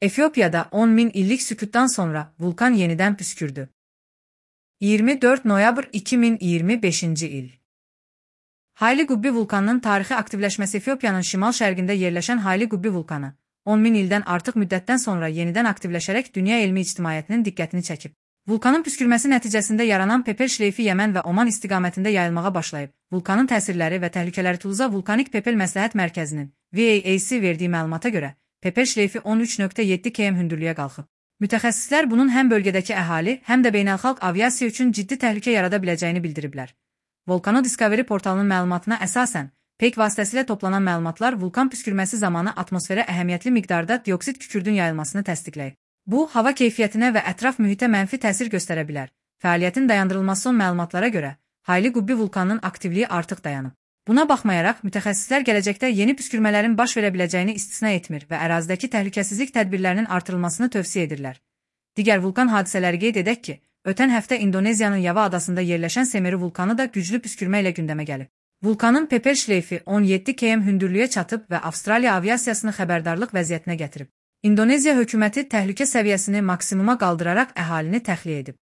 Efiopiyada 10.000 illik sükuttan sonra vulkan yeniden püskürdü. 24 noyabr 2025 il. Hayli Qubbi vulkanının tarixi aktivləşməsi Efiopiyanın şimal-şərqində yerləşən Hayli Qubbi vulkanı, 10.000 ildən artıq müddətdən sonra yenidən aktivləşərək dünya elmi ictimaiyyətinin diqqətini çəkib. Vulkanın püskürməsi nəticəsində yaranan pepel şleifi Yəmən və Oman istiqamətində yayılmağa başlayıb. Vulkanın təsirləri və təhlükələri Tuluza Vulkanik Pepel Məsləhət Mərkəzinin VAAC verdiyi məlumata görə, pepel şleifi 13.7 km hündürlüyə qalxıb. Mütəxəssislər bunun həm bölgədəki əhali, həm də beynəlxalq aviasiya üçün ciddi təhlükə yarada biləcəyini bildiriblər. Volcano Discovery portalının məlumatına əsasən, PEC vasitəsilə toplanan məlumatlar vulkan püskürməsi zamanı atmosferə əhəmiyyətli miqdarda dioksid kükürdün yayılmasını təsdiqləyib. Bu, hava keyfiyyətinə və ətraf mühitə mənfi təsir göstərə bilər. Fəaliyyətin dayandırılması son məlumatlara görə, Hayli Qubbi vulkanının aktivliyi artıq dayanıb. Buna baxmayaraq, mütəxəssislər gələcəkdə yeni püskürmələrin baş verə biləcəyini istisna etmir və ərazidəki təhlükəsizlik tədbirlərinin artırılmasını tövsiyə edirlər. Digər vulkan hadisələri qeyd edək ki, ötən həftə İndoneziyanın Yava adasında yerləşən Semeru vulkanı da güclü püskürmə ilə gündəmə gəlib. Vulkanın pepel şleifi 17 km hündürlüyə çatıb və Avstraliya aviasiyasını xəbərdarlıq vəziyyətinə gətirib. İndoneziya hökuməti təhlükə səviyyəsini maksimuma qaldıraraq əhalini təxliyə edib.